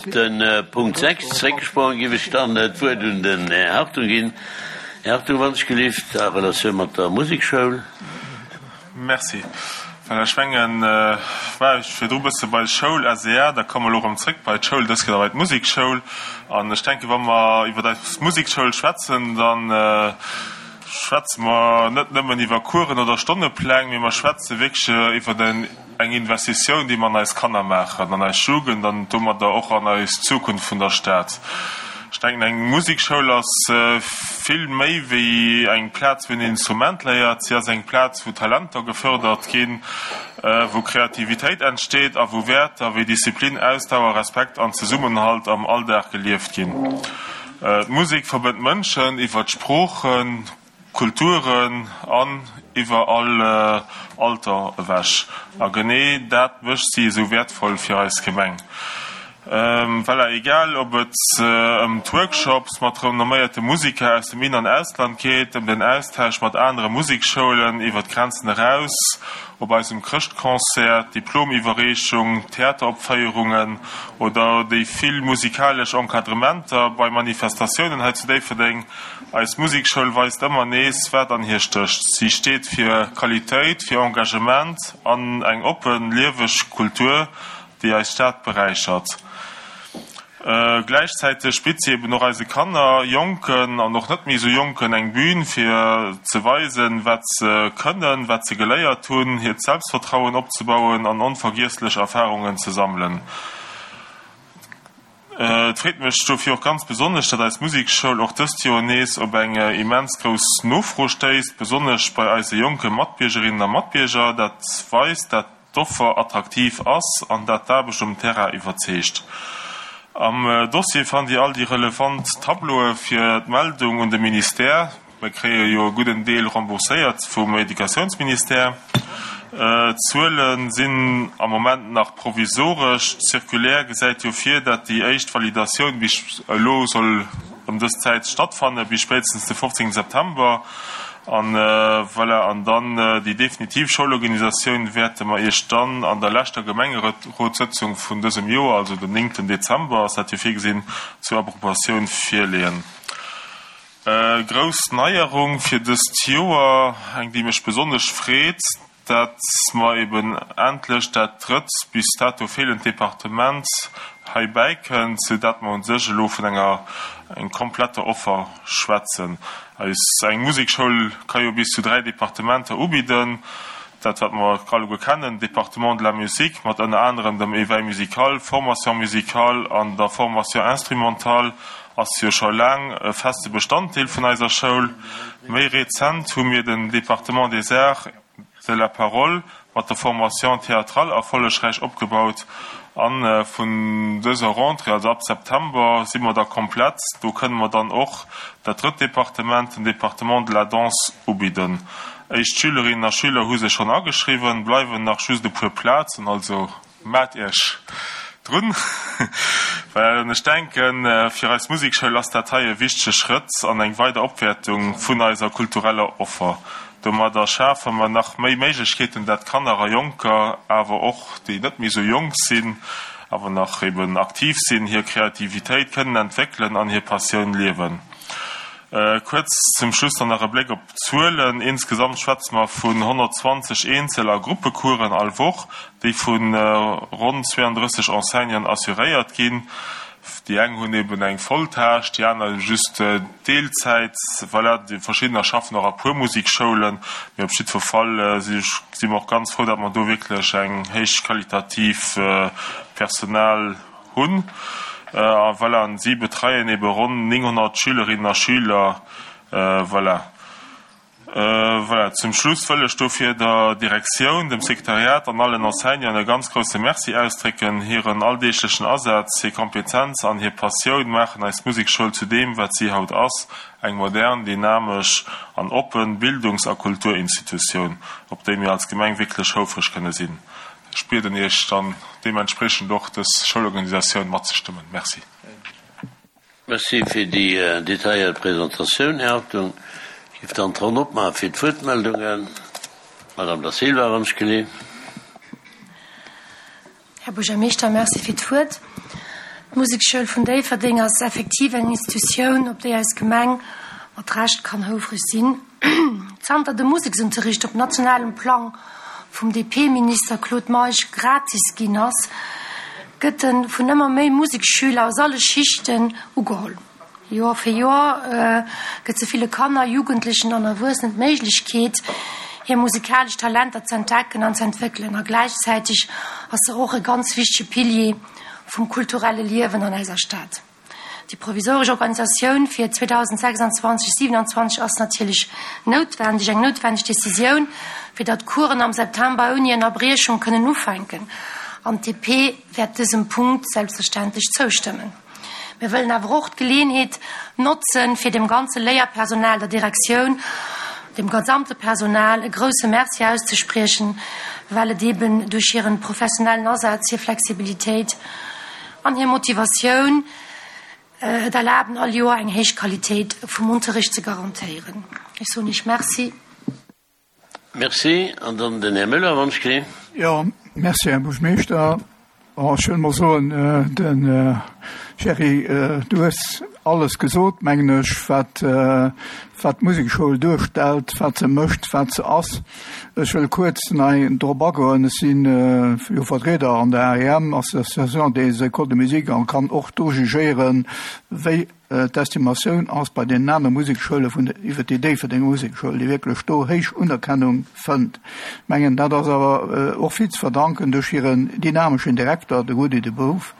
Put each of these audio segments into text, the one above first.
Op de Punkt 6 zréckgesprongen, géif ech dann d'Wuert un den Här Hartung ginn. Här Hartung, wann ech gelift, a Relatioun mat der Musekschoul. Merci. Well ech mengen, war ech virdru e bësse bei Schoul, SEA, da komme mer elo erëm zréck bei d'Schoul, dës Kéier da bei d'Musekschoul. An ech denken, wa mer iwwer eis Musekschoul schwätzen, da schwätze mer net nëmmen iwwer Coursen oder Stonnepläng, mee mer schwätze wierklech iwwer eng Investitioun, déi mer an eis Kanner maachen, an eis Jugend an domadder och an eis Zukunft vun der Stad. Ech denken, eng Musekschoul ass vill méi wéi eng Plaz, wou een en Instrument léiert. Si ass eng Plaz, wou Talenter gefërdert ginn, wou Kreativitéit entsteet a wou Wäerter wéi Disziplin, Ausdauer, Respekt an Zesummenhalt am Alldag gelieft ginn. D'Musek verbënnt Mënschen iwwer d'Sproochen, Kulturen an iwwer all Alter ewech. A genee dat mécht si esou wäertvoll fir eis Gemeng. Voilà, egal ob et ëm d'Workshops mat renomméierte Musiker aus dem In an Ausland geet, ëm den Austausch mat anere Musekschoulen iwwer d'Grenzen eraus, op eisem Chrëschtconcert, d'Diplomiwwerreechung, Theateropféierungen oder déi vill musikalesch Encadrementer bei Manifestatiounen hei zu Déifferdeng, Eis Musekschoul weist ëmmer nees, wat an hir stécht. Si steet fir Qualitéit, fir Engagement an eng oppen, lieweg Kultur, déi eis Stad beräichert. Gläichzäiteg bitt si eben och eise Kanner, Jonken an och net méi esou Jonken, eng Bühn, fir ze weisen, wat se kënnen, wat se geléiert hunn, hiert Selbstvertrauen opzebauen an onvergiesslech Erfarungen ze sammelen. Et freet mech dofir och ganz besonnesch, datt eis Musekschoul och dëst Joer nees op eng immens grouss Nofro stéisst, besonnesch bei eise jonke Matbiergerinnen a Matbierger. Dat weist, dat d'Offer attraktiv ass an dat d'Aarbecht um Terrain iwwerzeegt. Am Dossier fannt Dir all déi relevant Tableaue fir d'Meldung un de Ministère. Mir kréie jo e gudden Deel rembourséiert vum Educatiounsministère. D'Zuele sinn am Moment nach provisoresch. D'Circulaire gesäit jo vir, dat déi éischt Validatioun bis elo soll ëm dës Zäit stattfanne, bis spéitstens de 15 September. An voilà, an dann déi definitiv Schoulorganisatioun wäerte mer Iech dann an der leschter Gemengerotssëtzung vun dësem Joer, also den 9 Dezember ass dat jo virgesinn, zur Approbatioun virleeën. Grouss Neierung fir dëst Joer, eng déi mech besonnesch freet, dat mer eben endlech dat drëtt bis dato feelend Departement hei bäikënnt, sou dat mer un sech elo vun enger eng kompletter Offer schwätzen. Eis eng Musekschoul ka jo bis zu 3 Departementer ubidden, dat wat mer alleguer kennen, Département de la musique mat ënner anerem dem Éveil musical, Formation musicale an der Formation instrumentale ass jo scho laang e feste Bestanddeel vun eiser Schoul. Méi rezent hu mir den Département des arts de la parole mat der Formation théâtrale erfollegräich opgebaut a vun dëser Rentrée, also ab September, si mer da komplett. Do kënne mer dann och dat drëtt Departement, den Département de la danse, ubidden. Éischt Schülerinnen a Schüler hu sech schonn ageschriwwen, bleiwen nach just e puer Plazen, also Maat Iech drun, well ech denken, fir eis Musekschoul ass dat hei e wichtege Schrëtt an eng weider Opwäertung vun eiser kultureller Offer. Domadder schafe mer nach méi Méiglechkeeten, dat Kanner a Jonker, awer och déi net méi sou jonk sinn, awer nach eben aktiv sinn, hir Kreativitéit kënnen entwéckelen an hir Passioun liewen. Kuerz zum Schluss dann nach e Bléck op d'Zuelen, Insgesamt schwätze mer vun 120 Eenzel a Gruppecoursen all Woch, déi vu ronn 32 Enseignanten assuréiert ginn. Déi eng hunn eben eng Volltâche, déi aner just Deelzäit. Voilà, déi verschiddener schaffen och a puer Musikschoulen. Mee op jiddwer Fall si mer och ganz frou, datt mer do wierklech eng héich qualitativ Personal Hunn. A voilà, an si betreien ebe ronn 900 Schülerinnen a Schüler. Voilà. Voilà, zum Schluss wëll ech dofir der Direktioun, dem Sekretariat an allen Enseignanten e ganz grousse Merci ausdrécken. Hiren alldeeglechen Asaz, hir Kompetenz an hir Passioun maachen eis Musekschoul zu deem, wat si haut ass, eng modern, dynamesch an oppen Bildungs a Kulturinstitutioun, op déi mir als Gemeng wierklech houfreg kënne sinn. Ech bieden Iech dann deementspreechend och dës Schoulorganisatioun matzestëmmen. Merci. Merci fir déi detailléiert Presentatioun, Här Hartung. Ech géif dann d'Ronn opmaache fir d'Wuertmeldungen. Madame Da Silva, wann ech geleeën. Här Buergermeeschter, merci fir d'Wuert. D'Musekschoul vun Déifferdeng ass effektiv eng Institutioun, op déi eis Gemeng mat Recht kann houfreg sinn. Zanter de Museksunterricht op nationalem Plang vum DP-Minister Claude Meisch gratis ginn ass, gëtt e vun ëmmer méi Museksschüler aus alle Schichten ugeholl. Joer fir Joer gëtt se ville Kanner, Jugendlechen an Erwuessenen d'Méiglechkeet, hir musikalesch Talenter z'entdecken an z'entwéckelen. A gläichzäiteg ass se och e ganz wichtege Pilier vum kulturelle Liewen an eiser Stad. Déi provisoresch Organisatioun fir 2026, 27 ass natierlech noutwendeg, eng noutwendeg Decisioun, fir datt d'Coursen am September ouni Ënnerbriechung kënnen ufänken. An d'DP wäert dësem Punkt selbstverständlech zoustëmmen. Mir wëllen awer och d'Geleeënheet notzen, fir dem ganze Léierpersonal, der Direktioun, dem gesamte Personal e grouse Merci auszespriechen, well et eeben duerch hiren professionellen Asaz, hir Flexibilitéit an hir Motivatioun et erlaben, all Joer eng héich Qualitéit vum Unterricht ze garantéieren. Ech soen Iech Merci. Merci. An dann den Här Müller, wann ech kee. Jo, merci, Här Buergermeeschter. Bon, ech wëll mol soen, de Gerry, du hues alles gesot, mengen ech, wat, wat d'Musekschoul duerstellt, wat se mécht, wat se ass. Ech wëll kuerz nei drop agoen. Ech si jo Vertrieder an der AEM, Association des Écoles de Musique, an kann och do jugéieren, wéi D'Estimatioun ass bei deenen aner Musekschoule vun der, iwwer déi Déifferdenger Musekschoul, déi wierklech do héich Unerkennung fënnt. Ech mengen, dat ass awer och vill ze verdanken duerch hiren dynameschen Direkter, de Rudi De Boef,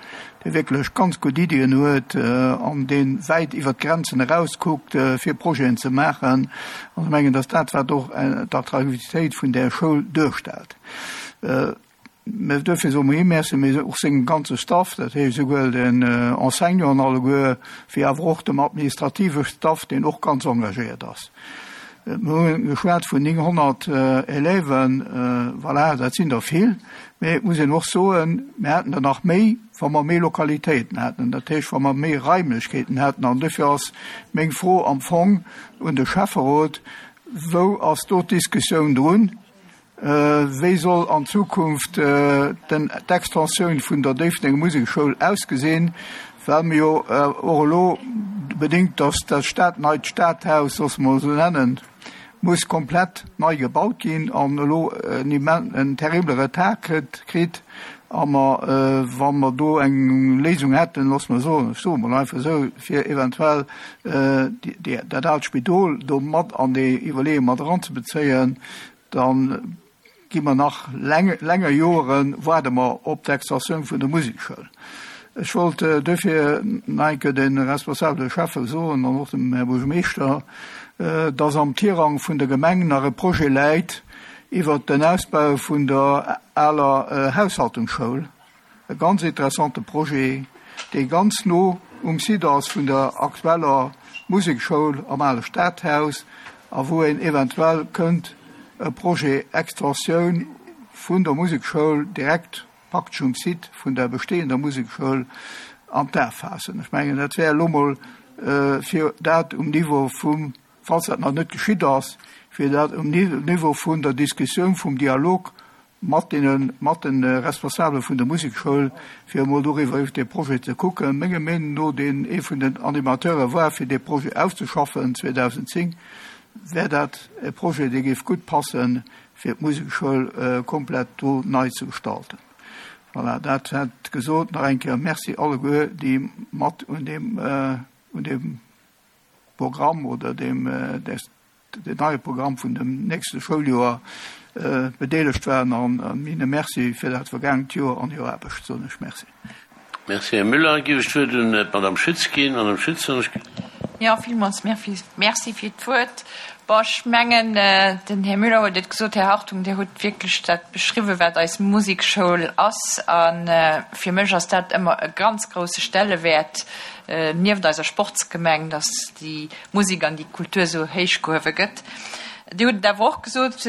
dee wierklech ganz gutt Iddien huet an dee wäit iwwer d'Grenzen eraus kuckt, fir Projeten ze maachen. An ech mengen, dass dat, wat och d'Attraktivitéit vun där Schoul duerstellt. Mä duerfir soe mer him Merci, mee och sengem ganze Staff, dat heescht esouguer den Enseignanten alleguer, wéi awer och dem administrative Staff, deen och ganz engagéiert ass. Mir hu geschwat vun 900 Élèven, voilà, dat sinn der vill, mee et muss een och soen, mir hätten der nach méi, wa mer méi Lokalitéiten hätten, dat heescht, wa mer méi Raimlechkeeten hätten. An duerfir ass meng Fro am Fong un de Schäfferot, Wou ass do d'Diskussioun drun? Wéi soll an Zukunft d'Extensioun vun der Déifferdenger Museksschoul ausgesinn, well mir jo och elo, bedéngt datt dat Stad, neit Stadhaus, loosse mer et esou nennen, muss komplett nei gebaut ginn an elo en terrible Retard kritt a mer, wa mer do eng Léisung hätten, loosse mer soen, ech soe mol einfach esou, fir eventuell dat aalt Spidol do mat an déi Iwwerleeung mat eranzebezéien, Da gi mer nach länger Joren, waarde mer op d'Extensioun vun der Musekschoul. Ech wollt duerfir nach eng Kéier de responsabele Schäffe soen an och dem Här Buergermeeschter, dass am Tirang vun der Gemeng nach e Projet läit iwwert den Ausbau vun der aler Haushaltungsschoul. E ganz interessante Projet, dee ganz no um Site ass vun der aktueller Musekschoul am ale Stadhaus a wou een eventuell kënnt e Projet Extensioun vun der Musekschoul direkt praktesch um Site vun der bestehender Musekschoul an d'A faassen. Ech mengen, dat wär elo mol fir dat um Niveau vum, falls dat nach net geschitt ass, fir dat um Niveau vun der Diskussioun, vum Dialog mat deene, mat de Responsabele vun der Musekschoul, fir emol doriwwer, iwwer dee Projet ze kucken. Menger Meenung no, deen ee vun den Animateure war, fir dee Projet auszeschaffen 2010, wär dat e Projet, dee géif gutt passen, fir d'Musekschoul komplett do nei ze gestalten. Voilà, dat hätt gesot. Nach eng Kéier Merci alleguer, déi mat un deem, un deem Programm oder deem, den neie Programm vun dem nächste Schouljoer bedeelegt waren an hinne Merci fir dat vergaangent Joer an hir Aarbecht soen ech Merci. Merci, Här Müller. Giff ech d'Wuert un d'Madame Schütz ginn. Madame Schütz, wann ech. Jo, villmools Merci fir d'Wuert. Bon, ech mengen, den Här Müller huet et gesot, Här Hartung, Dir hutt wierklech dat beschriwwen, wat eis Musekschoul ass. A fir mech ass dat ëmmer e ganz grouse Stellewäert nieft eiser Sportsgemeng, dass déi Musek an déi Kultur esou héich gehuewe gëtt. Dir hutt et awer och gesot,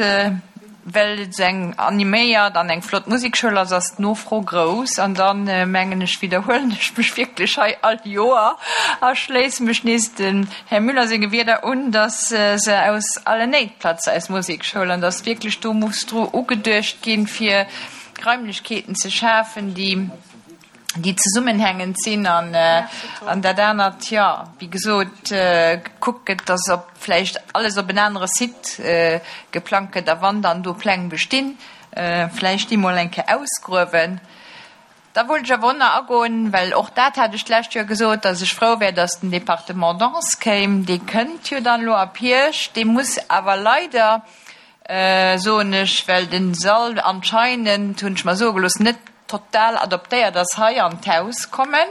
well et esou eng animéiert an eng flott Musekschoul ass, ass d'Nofro grouss. An dann, mengen ech, widderhuelen ech mech wierklech hei all Joer a schléisse mech nees dem Här Müller senge Wierder un, dass se aus allen Néit platzt, eis Musekschoul, an dass wierklech do muss dru ugeduecht ginn, fir Raimlechkeeten ze schafen, déi. Déi zesummenhängend sinn an an dat anert, jo, wéi gesot, gekuckt gëtt, dass op vläicht alles op en anere Site geplangt gëtt a wann dann do Pläng bestinn, vläicht déi mol eng Kéier ausgruewen. Da wollt ech awer och nach agoen, well och dat hat ech d'lescht Joer gesot, dass ech frou wär, dass den Département Danse kéim. Dee kënnt jo dann elo ab Hierscht. Dee muss awer leider, soen ech, well den Sall anscheinend, hunn ech mer soe gelooss, net total adoptéiert ass, hei an d'Haus kommen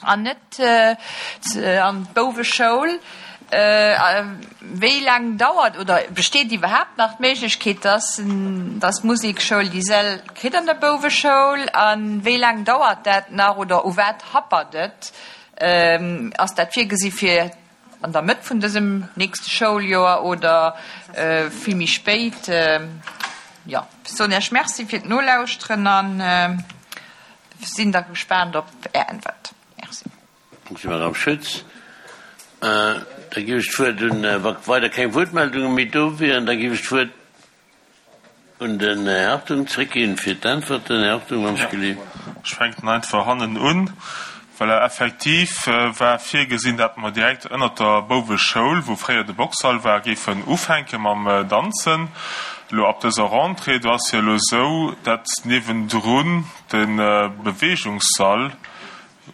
an net an d'Bouweschoul. Wéi laang dauert oder besteet iwwerhaapt nach d'Méiglechkeet, dass dass d'Musekschoul déi Säll kritt an der Bouweschoul? A wéi laang dauert dat nach oder u wat happert et? Ass dat virgesi fir An der Mëtt vun dësem nächste Schouljoer oder vill méi spéit. Jo, ech soen Iech Merci fir d'Nolauschteren a sinn da gespaant op Är Äntwert. Merci. Merci, Madamm Schütz. Da géif ech d'Wuert un, wa weider keng Wuertmeldunge méi do wieren, da géif ech d'Wuert Un den Här Hartung zréckginn fir d'Äntwerten. Här Hartung, wann ech gelift. Ech fänken einfach hannen un. Voilà, effektiv war virgesinn, dat mer direkt ënnert der Bouweschoul, wou fréier de Boxsall war, géifen ufänke mam Danzen. Elo ab dëser Rentrée, do ass jo elo esou, dat niewendrun de Beweegungssall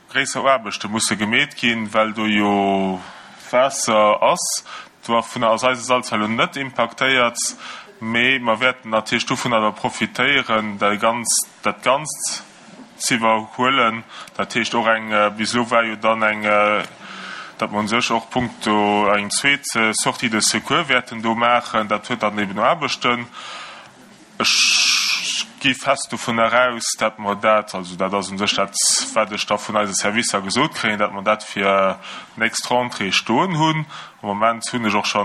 Gréisser Aarbechte musse gemeet ginn, well do jo Waasser ass. Dovunner ass eise Sall zwar elo net impaktéiert, mee mer wäerten natierlech dovunner awer profitéieren, dat Ganzt z'iwwerhuelen. Dat heescht och eng, bis elo war jo dann eng, datt mer u sech och punkto eng zweet Sortie de secours wäerten do maachen. Dat huet dann eben Aarbechten. Ech gi fest dovun eraus, dat mer dat, also dat ass u sech dat, wat ech da vun eise Servicer gesot kréien, dat mer dat fir d'nächst Rentrée stoen hunn. Am Moment hunn ech och scho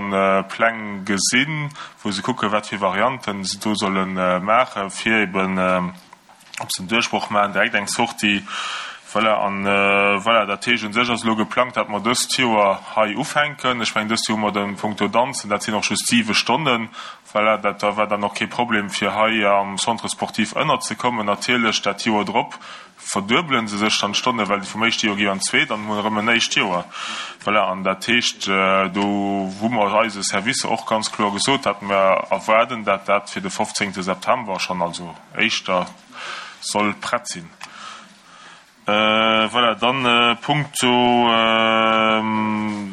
Pläng gesinn, wou se kucken, wat fir Varianten se do solle maachen, fir eben, ob se en Duerchbroch maachen, direkt eng Sortie. Voilà, an voilà, dat heescht, u sech ass elo geplangt, dat mer dëst Joer hei ufänken. Ech mengen, dëst Joer hu mer de punkto Danzen, dat sinn och just siwe Stonnen, Voilà, dat war dann och kee Problem fir hei am Centre sportif ënnerzekommen. Natierlech dat Joer drop verduebele se sech dann d'Stonne, well vum éischte Joer gi an d'zweet an hunn erëm en éischt Joer. Voilà, an dat heescht, do hu mer eise Servicer och ganz kloer gesot, dat mer erwaarden, dat dat fir de 15. September schonn, also éischter, soll prett sinn. Voilà, dann punkto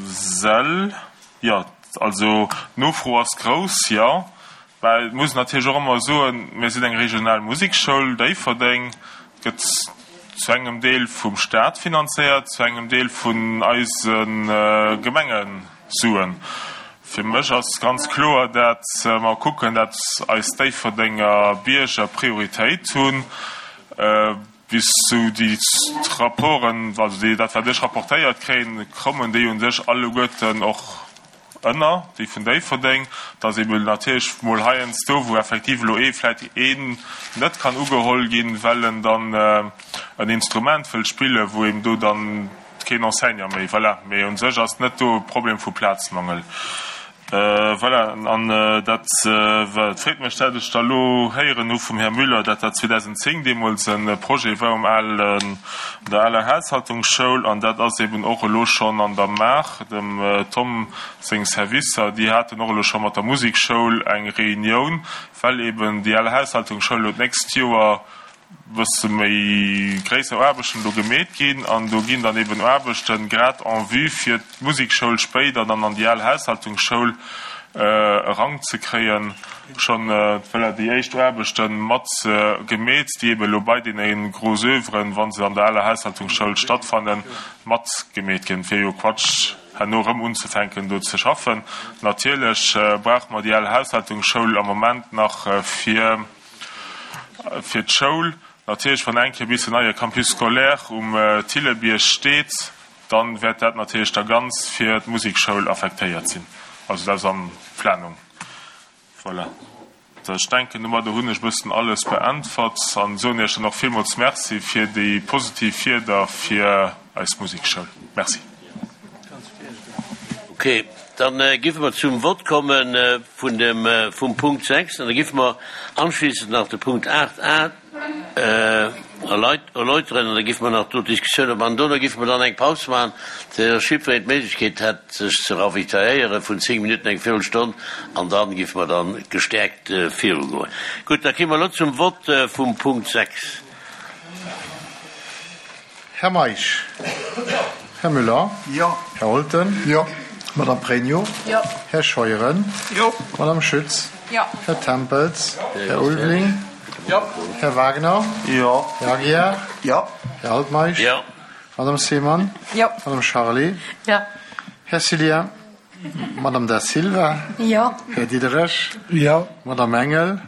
Säll, jo, also d'Nofro ass grouss, jo. Mä et muss een natierlech och ëmmer soen, mir sinn eng regional Musekschoul, Déifferdeng gëtt zu engem Deel vum Staat finanzéiert, zu engem Deel vun eise Gemengesuen. Fir mech ass ganz kloer, dat mer kucken, dat eis Déifferdenger Bierger Prioritéit hunn. Bis zu déi Rapporten, also déi, dat wat ech rapportéiert kréien, kommen déi u sech alleguerten och ënner, déi vun Déifferdeng. Et ass eeben natierlech mol heiansdo, wou effektiv elo ee vläicht een net kann ugeholl ginn, well en dann en Instrument wëllt spillen, wou eben do dann keen Enseignant méi, voilà. Mee u sech ass net do e Problem vu Plazmangel. Voilà, an dat freet mech, dat ech da elo héieren hu vum Här Müller, dat dat 2010 deemools e Projet war um alen, an der aler Haushaltungsschoul. An dat ass eben och elo schonn an der Maach. Dem Tom seng Servicer, déi haten och elo scho mat der Musekschoul eng Reunioun, well eben déi al Haushaltungsschoul elo d'nächst Joer bësse méi gréisser Aarbechten do gemeet ginn an do ginn dann eben Aarbechten grad en vue fir d'Musekschoul spéider dann an déi al Haushaltungsschoul eranzekréien, schonn, voilà, déi éischt Aarbechte mat gemeet, déi eben elo bei deene gros Oeuvren, wa se an der aler Haushaltungsschoul stattfannen, mat gemeet ginn. Et wier jo Quatsch herno erëm unzefänken do ze schaffen. Natierlech brauche mer déi al Haushaltungsschoul am Moment nach fir. Fir d'Schoul natierlech, wann eng Kéier bis den neie Campus scolaire um Thillebierg steet, dann wäert dat natierlech da ganz fir d'Musekschoul affektéiert sinn. Also dat ass an Planung. Voilà. Ech denken, domadder hunn ech e bëssen alles beäntwert an soen Iech dann och villmools Merci fir déi positiv Wierder fir eis Musekschoul. Merci. Ok, dann giffe mer zum Vott komme vun dem, vum Punkt 6 an da giffe mer anschließend nach de Punkt 8 a. Erläuteren an da giffe mer nach do d'Diskussioun op an dono giffe mer dann eng Paus maachen, fir dass jiddwereen d'Méiglechkeet hätt, sech ze ravitailléiere vun 10 Minutten, eng Véirelstonn, an da giffe mer dann gestäerkt virugoen. Gutt, da kéime mer elo zum Vott vum Punkt 6. Här Meisch. Här Müller. Jo. Här Holten. Jo. Madame Pregno. Jo. Här Scheuren. Jo. Madame Schütz. Jo. Här Tempels. Här Ulveling. Jo. Här Wagner. Jo. Här Aguiar. Jo. Här Altmeisch. Jo. Madame Seemann. Jo. Madame Charlé. Jo. Här Cillien. Madame Da Silva. Jo. Här Diderich. Jo. Madame Engel.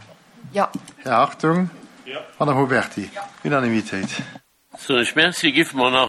Jo. Här Hartung. Jo. Madame Huberty. Unanimitéit. Soen ech Merci. Giffe mer nach.